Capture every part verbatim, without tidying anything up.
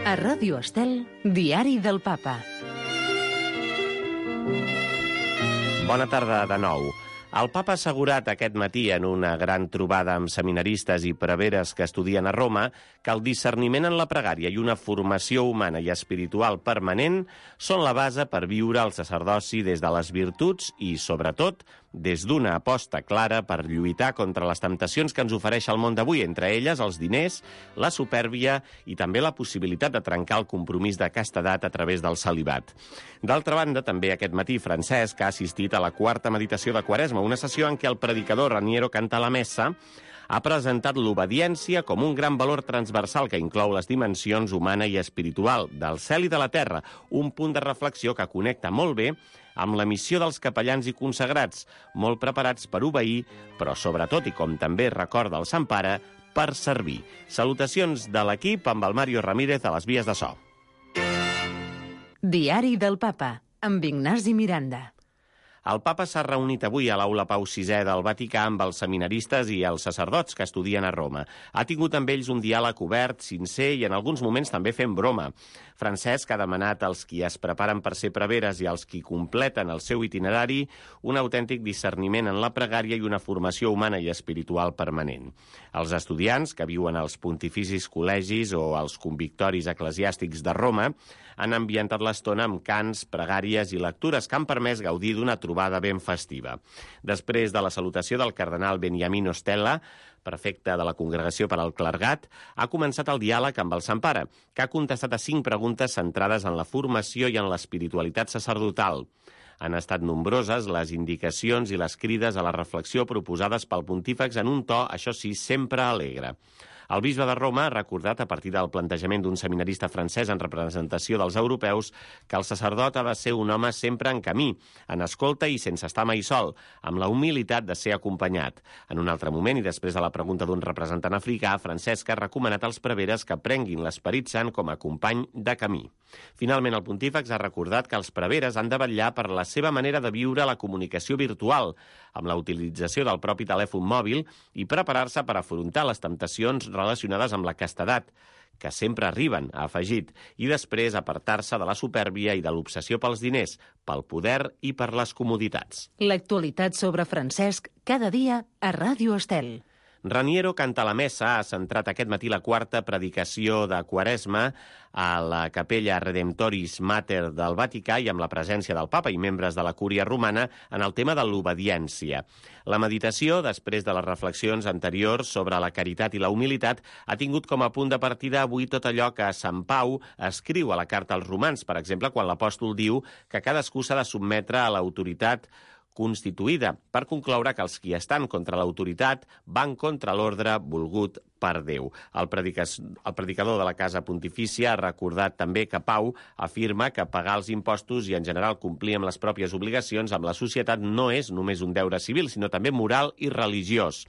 A Ràdio Estel, Diari del Papa. Bona tarda de nou. El papa ha assegurat aquest matí en una gran trobada amb seminaristes i preveres que estudien a Roma que el discerniment en la pregària i una formació humana i espiritual permanent són la base per viure el sacerdoci des de les virtuts i, sobretot, des d'una aposta clara per lluitar contra les temptacions que ens ofereix el món d'avui, entre elles els diners, la supèrbia i també la possibilitat de trencar el compromís de castedat a través del celibat. D'altra banda, també aquest matí Francesc ha assistit a la quarta meditació de Quaresma, una sessió en què el predicador Raniero Cantalamessa ha presentat l'obediència com un gran valor transversal que inclou les dimensions humana i espiritual del cel i de la terra, un punt de reflexió que connecta molt bé amb la missió dels capellans i consagrats, molt preparats per obeir, però sobretot, i com també recorda el Sant Pare, per servir. Salutacions de l'equip amb el Mario Ramírez a les vies de so. Diari del Papa, amb Ignasi Miranda. El papa s'ha reunit avui a l'Aula Pau sisè del Vaticà amb els seminaristes i els sacerdots que estudien a Roma. Ha tingut amb ells un diàleg obert, sincer i en alguns moments també fent broma. Francesc ha demanat als qui es preparen per ser preveres i als qui completen el seu itinerari un autèntic discerniment en la pregària i una formació humana i espiritual permanent. Els estudiants que viuen als pontificis col·legis o als convictoris eclesiàstics de Roma han ambientat l'estona amb cants, pregàries i lectures que han permès gaudir d'una trobada ben festiva. Després de la salutació del cardenal Beniamino Stella, prefecte de la Congregació per al Clergat, ha començat el diàleg amb el Sant Pare, que ha contestat a cinc preguntes centrades en la formació i en l'espiritualitat sacerdotal. Han estat nombroses les indicacions i les crides a la reflexió proposades pel pontífex en un to, això sí, sempre alegre. El bisbe de Roma ha recordat, a partir del plantejament d'un seminarista francès en representació dels europeus, que el sacerdot ha de ser un home sempre en camí, en escolta i sense estar mai sol, amb la humilitat de ser acompanyat. En un altre moment, i després de la pregunta d'un representant africà, Francesc ha recomanat als preveres que prenguin l'Esperit Sant com a company de camí. Finalment, el pontífex ha recordat que els preveres han de vetllar per la seva manera de viure la comunicació virtual, amb la utilització del propi telèfon mòbil i preparar-se per afrontar les temptacions relacionades amb la castedat, que sempre arriben, ha afegit, i després apartar-se de la supèrbia i de l'obsessió pels diners, pel poder i per les comoditats. L'actualitat sobre Francesc, cada dia a Ràdio Estel. Raniero Cantalamessa ha centrat aquest matí la quarta predicació de Quaresma a la Capella Redemptoris Mater del Vaticà i amb la presència del papa i membres de la Cúria Romana en el tema de l'obediència. La meditació, després de les reflexions anteriors sobre la caritat i la humilitat, ha tingut com a punt de partida avui tot allò que Sant Pau escriu a la carta als romans, per exemple, quan l'apòstol diu que cadascú s'ha de sotmetre a l'autoritat constituïda, per concloure que els qui estan contra l'autoritat van contra l'ordre volgut per Déu. El, el predicador de la Casa Pontifícia ha recordat també que Pau afirma que pagar els impostos i en general complir amb les pròpies obligacions amb la societat no és només un deure civil, sinó també moral i religiós.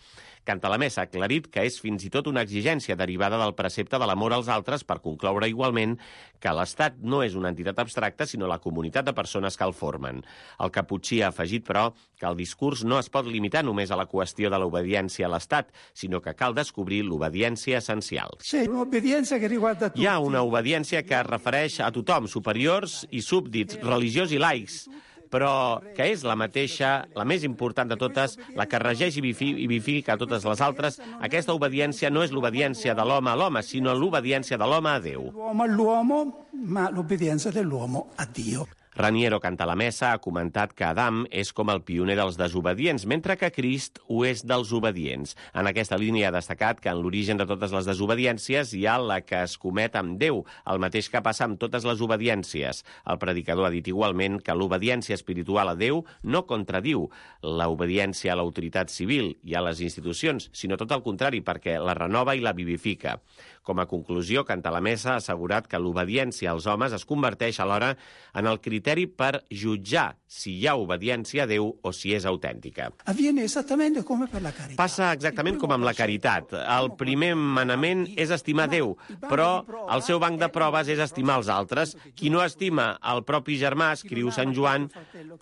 Cantalamessa ha aclarit que és fins i tot una exigència derivada del precepte de l'amor als altres per concloure igualment que l'Estat no és una entitat abstracta, sinó la comunitat de persones que el formen. El caputxí ha afegit, però, que el discurs no es pot limitar només a la qüestió de l'obediència a l'Estat, sinó que cal descobrir l'obediència essencial. Sí, un'obbedienza che riguarda tutti. Hi ha una obediència que es refereix a tothom, superiors i súbdits, religiosos i laics, però que és la mateixa, la més important de totes, la que regeix i vivifica a totes les altres. Aquesta obediència no és l'obediència de l'home a l'home, sinó l'obediència de l'home a Déu. L'uomo all'uomo, ma l'obbedienza dell'uomo a Dio. Raniero Cantalamessa ha comentat que Adam és com el pioner dels desobedients, mentre que Crist ho és dels obedients. En aquesta línia ha destacat que en l'origen de totes les desobediències hi ha la que es comet amb Déu, el mateix que passa amb totes les obediències. El predicador ha dit igualment que l'obediència espiritual a Déu no contradiu l'obediència a l'autoritat civil i a les institucions, sinó tot el contrari, perquè la renova i la vivifica. Com a conclusió, Cantalamessa ha assegurat que l'obediència als homes es converteix alhora en el criteri criteri per jutjar si hi ha obediència a Déu o si és autèntica. Avviene esattamente come per la carità. Passa exactament com amb la caritat. El primer manament és estimar Déu, però el seu banc de proves és estimar els altres. Qui no estima el propi germà, escriu Sant Joan,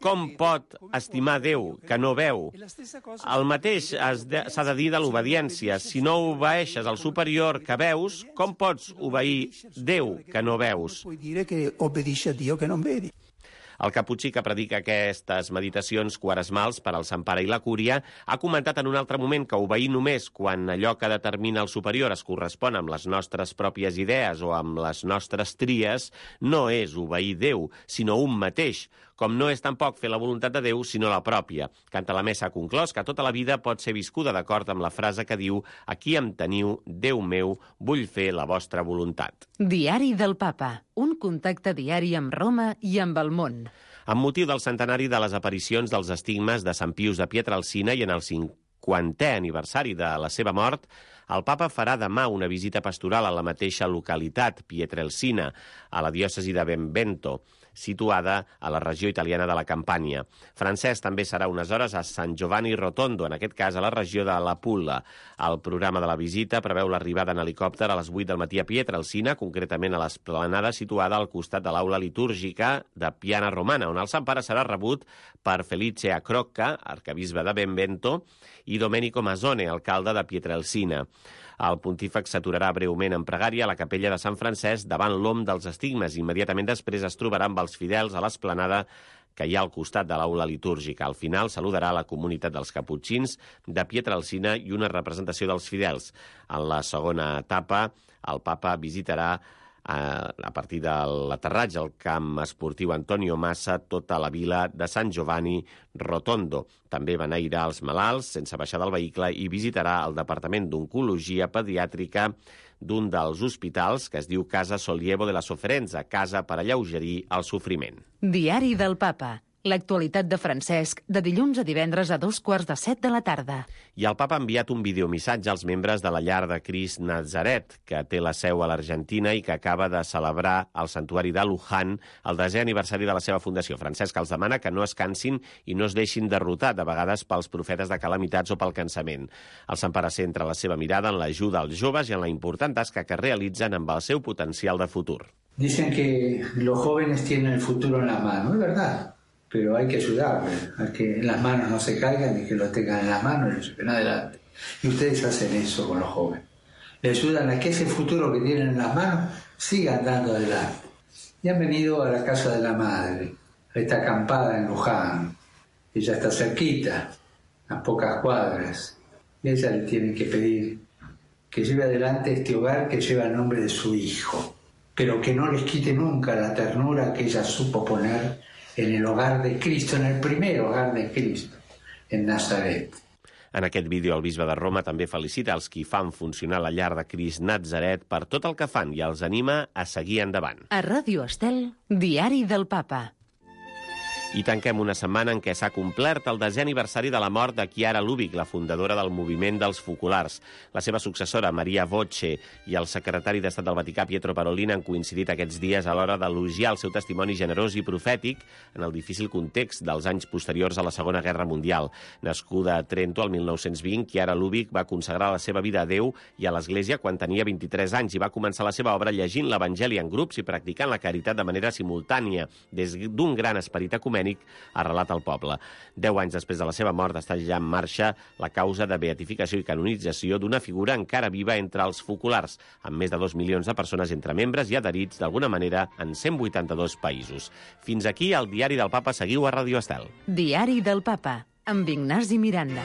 com pot estimar Déu que no veu? El mateix s'ha de dir de l'obediència. Si no obeeixes al superior que veus, com pots obeir Déu que no veus? Puoi dire che obbedisci a Dio che non vedi. El caputxí que predica aquestes meditacions quaresmals per al Sant Pare i la Cúria ha comentat en un altre moment que obeir només quan allò que determina el superior es correspon amb les nostres pròpies idees o amb les nostres tries no és obeir Déu, sinó un mateix, com no és tampoc fer la voluntat de Déu, sinó la pròpia. Canta la Messa ha conclòs que tota la vida pot ser viscuda d'acord amb la frase que diu «Aquí em teniu, Déu meu, vull fer la vostra voluntat». Diari del Papa, un contacte diari amb Roma i amb el món. Amb motiu del centenari de les aparicions dels estigmes de Sant Pius de Pietrelcina i en el cinquantè aniversari de la seva mort, el papa farà demà una visita pastoral a la mateixa localitat, Pietrelcina, a la diòcesi de Benevento, situada a la regió italiana de la Campània. Francesc també serà unes hores a San Giovanni Rotondo, en aquest cas a la regió de la Pulla. El programa de la visita preveu l'arribada en helicòpter a les vuit del matí a Pietrelcina, concretament a l'esplanada situada al costat de l'aula litúrgica de Piana Romana, on el Sant Pare serà rebut per Felice Acrocca, arcabisbe de Benevento, i Domenico Masone, alcalde de Pietrelcina. El pontífex s'aturarà breument en pregària a la capella de Sant Francesc davant l'om dels estigmes. Immediatament després es trobarà amb els fidels a l'esplanada que hi ha al costat de l'aula litúrgica. Al final saludarà la comunitat dels caputxins de Pietrelcina i una representació dels fidels. En la segona etapa, el papa visitarà a partir de l'aterratge al camp esportiu Antonio Massa tota la vila de Sant Giovanni Rotondo. També beneirà els malalts sense baixar del vehicle i visitarà el Departament d'Oncologia Pediàtrica d'un dels hospitals que es diu Casa Sollievo de la Sofferenza, casa per alleugerir el sofriment. Diari del Papa. L'actualitat de Francesc, de dilluns a divendres a dos quarts de set de la tarda. I el papa ha enviat un videomissatge als membres de la Llar de Crist Natzaret, que té la seu a l'Argentina i que acaba de celebrar al santuari de Luján el desè aniversari de la seva fundació. Francesc els demana que no es cansin i no es deixin derrotar, de vegades pels profetes de calamitats o pel cansament. El Sant Pare centra la seva mirada en l'ajuda als joves i en la important tasca que realitzen amb el seu potencial de futur. Dicen que los jóvenes tienen el futuro en la mano, es verdad. Pero hay que ayudarles a que las manos no se caigan y que lo tengan en las manos y lo lleven adelante. Y ustedes hacen eso con los jóvenes. Le ayudan a que ese futuro que tienen en las manos siga andando adelante. Y han venido a la casa de la madre, a esta acampada en Luján. Ella está cerquita, a pocas cuadras. Y a ella le tienen que pedir que lleve adelante este hogar que lleva el nombre de su hijo, pero que no les quite nunca la ternura que ella supo poner en el hogar de Cristo, en el primer hogar de Cristo, en Nazaret. En aquest vídeo, el bisbe de Roma també felicita els qui fan funcionar la Llar de Crist Natzaret per tot el que fan i els anima a seguir endavant. A Ràdio Estel, Diari del Papa. I tanquem una setmana en què s'ha complert el desè aniversari de la mort de Chiara Lubich, la fundadora del moviment dels focolars. La seva successora, Maria Voce, i el secretari d'Estat del Vaticà, Pietro Parolin, han coincidit aquests dies a l'hora d'elogiar el seu testimoni generós i profètic en el difícil context dels anys posteriors a la Segona Guerra Mundial. Nascuda a Trento el mil nou-cents vint, Chiara Lubich va consagrar la seva vida a Déu i a l'Església quan tenia vint-i-tres anys i va començar la seva obra llegint l'Evangeli en grups i practicant la caritat de manera simultània, des d'un gran esperit ecumènic arrelat al poble. Deu anys després de la seva mort està ja en marxa la causa de beatificació i canonització d'una figura encara viva entre els focolars, amb més de dos milions de persones entre membres i adherits d'alguna manera en cent vuitanta-dos països. Fins aquí el Diari del Papa. Seguiu a Ràdio Estel. Diari del Papa, amb Ignasi Miranda.